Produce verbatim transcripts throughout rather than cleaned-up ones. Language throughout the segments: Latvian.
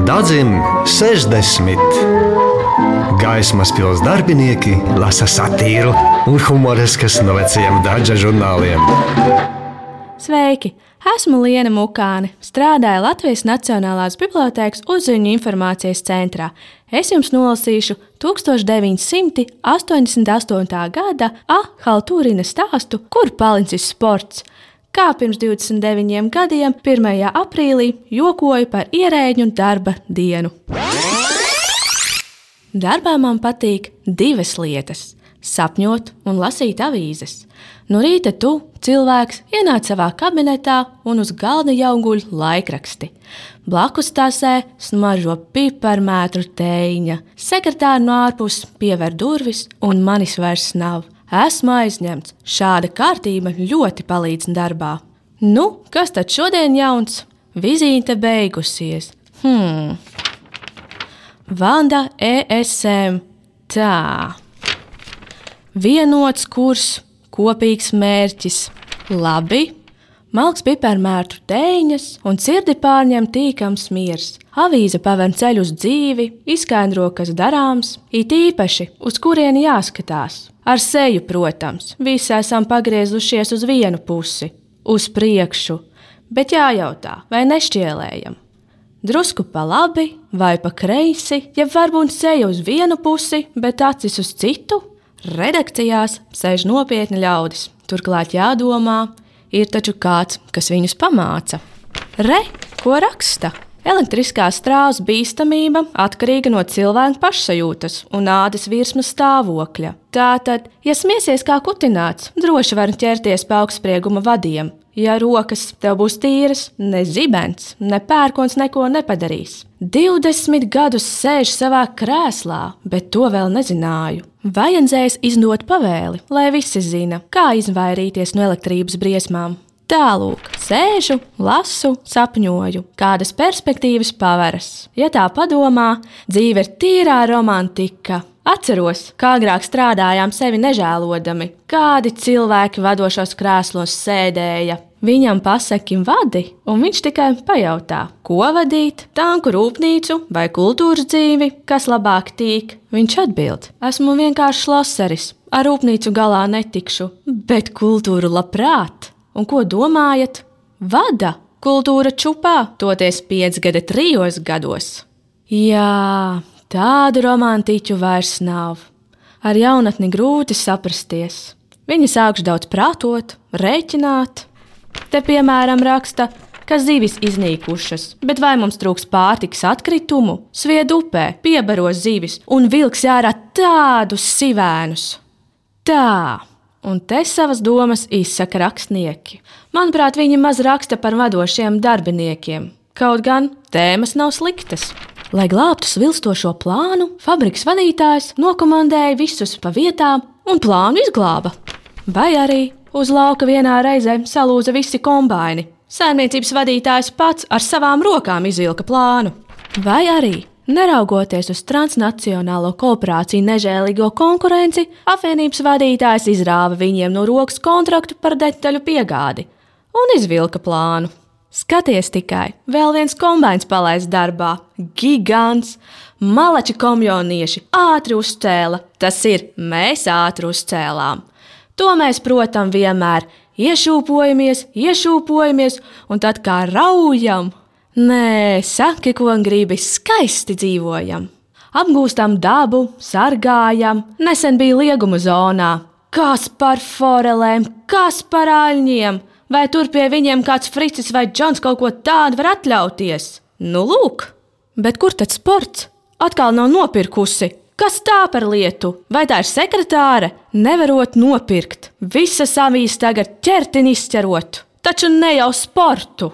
Daudziem sešdesmit. Gaismas pils darbinieki lasa satīru un humoreskas no vecajiem Daža žurnāliem. Sveiki! Esmu Liena Mukāne, strādāju Latvijas Nacionālās bibliotēkas Uzziņu informācijas centrā. Es jums nolasīšu tuksstoš deviņsimt astoņdesmit astotā gada A. Haltūrina stāstu, Kur palicis sports, kā pirms divdesmit deviņiem gadiem, pirmajā aprīlī, jokoju par ierēģu darba dienu. Darbā man patīk divas lietas – sapņot un lasīt avīzes. No rīta tu, cilvēks, ienāc savā kabinetā un uz galda jau guļ laikraksti. Blakus tasē smaržo piparmētru tējiņa. Sekretāri no ārpus piever durvis un manis vairs nav. Esmu aizņemts. Šāda kārtība ļoti palīdz darbā. Nu, kas tad šodien jauns? Vizīte beigusies. Hmm. Vanda E S M. Tā. Vienots kurs, kopīgs mērķis. Labi. Malks piparmērtu tēņas un sirdi pārņem tīkams miers. Avīze paver ceļu uz dzīvi, izskaidro, kas darāms, it īpaši, uz kurieni jāskatās. Ar seju, protams, visi esam pagriezušies uz vienu pusi, uz priekšu, bet jājautā, vai nešķielējam. Drusku pa labi vai pa kreisi, ja varbūt seja uz vienu pusi, bet acis uz citu. Redakcijās sēž nopietni ļaudis. Turklāt jādomā, ir taču kāds, kas viņus pamāca. Re, ko raksta? Elektriskā strāvas bīstamība atkarīga no cilvēka pašsajūtas un ādas virsmas stāvokļa. Tātad, ja smiesies kā kutināts, droši var ķerties pa augstsprieguma vadiem. Ja rokas tev būs tīras, ne zibens, ne pērkons neko nepadarīs. Divdesmit gadus sēž savā krēslā, bet to vēl nezināju. Vajadzēs izdot pavēli, lai visi zina, kā izvairīties no elektrības briesmām. Tālūk, sēžu, lasu, sapņoju, kādas perspektīvas paveras. Ja tā padomā, dzīve ir tīrā romantika. Atceros, kā agrāk strādājām sevi nežēlodami, kādi cilvēki vadošos krēslos sēdēja. Viņam pasaki vadi, un viņš tikai pajautā, ko vadīt, tanku rūpnīcu vai kultūras dzīvi, kas labāk tīk. Viņš atbild, esmu vienkārši loseris, ar rūpnīcu galā netikšu, bet kultūru labprāt. Un ko domājat? Vada kultūra čupā, toties piecgada trijos gados. Jā, tādu romantiķu vairs nav. Ar jaunatni grūti saprasties. Viņi sākuši daudz prātot, rēķināt. Te, piemēram, raksta, ka zivis iznīkušas, bet vai mums trūks pārtikas atkritumu? Svied upē, piebaro zivis un vilks ārā tādus sivēnus. Tā, un te savas domas izsaka rakstnieki. Manuprāt, viņi maz raksta par vadošiem darbiniekiem. Kaut gan tēmas nav sliktas. Lai glābtu svilstošo plānu, fabrikas vadītājs nokomandēja visus pa vietām un plānu izglāba. Vai arī uz lauka vienā reizē salūza visi kombaini. Saimniecības vadītājs pats ar savām rokām izvilka plānu. Vai arī, neraugoties uz transnacionālo korporāciju nežēlīgo konkurenci, apvienības vadītājs izrāva viņiem no rokas kontraktu par detaļu piegādi un izvilka plānu. Skaties tikai, vēl viens kombains palaist darbā. Gigants, malači komjonieši ātri uzcēla. Tas ir, mēs ātri uzcēlām. To mēs, protams, vienmēr iešūpojamies, iešūpojamies un tad kā raujam. Nē, saki, ko gribi, skaisti dzīvojam. Apgūstam dabu, sargājam, nesen bija liegumu zonā. Kas par forelēm, kas par aļņiem? Vai tur pie viņiem kāds fricis vai džons kaut ko tādu var atļauties? Nu, lūk! Bet kur tad sports? Atkal nav nopirkusi. Kas tā par lietu? Vai tā ir sekretāre? Nevarot nopirkt. Visas avīzes tagad ķertini izķerot. Taču ne jau sportu.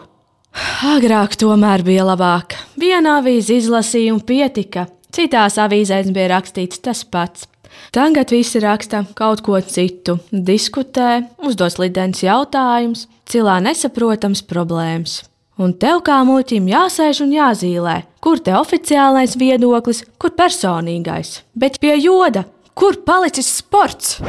Agrāk tomēr bija labāk. Viena avīze izlasīja un pietika. Citās avīzēs bija rakstīts tas pats. Tagad visi raksta kaut ko citu, diskutē, uzdos lidens jautājums, cilā nesaprotams problēmas. Un tev kā muļķim jāsēž un jāzīlē, kur te oficiālais viedoklis, kur personīgais. Bet pie joda, kur palicis sports?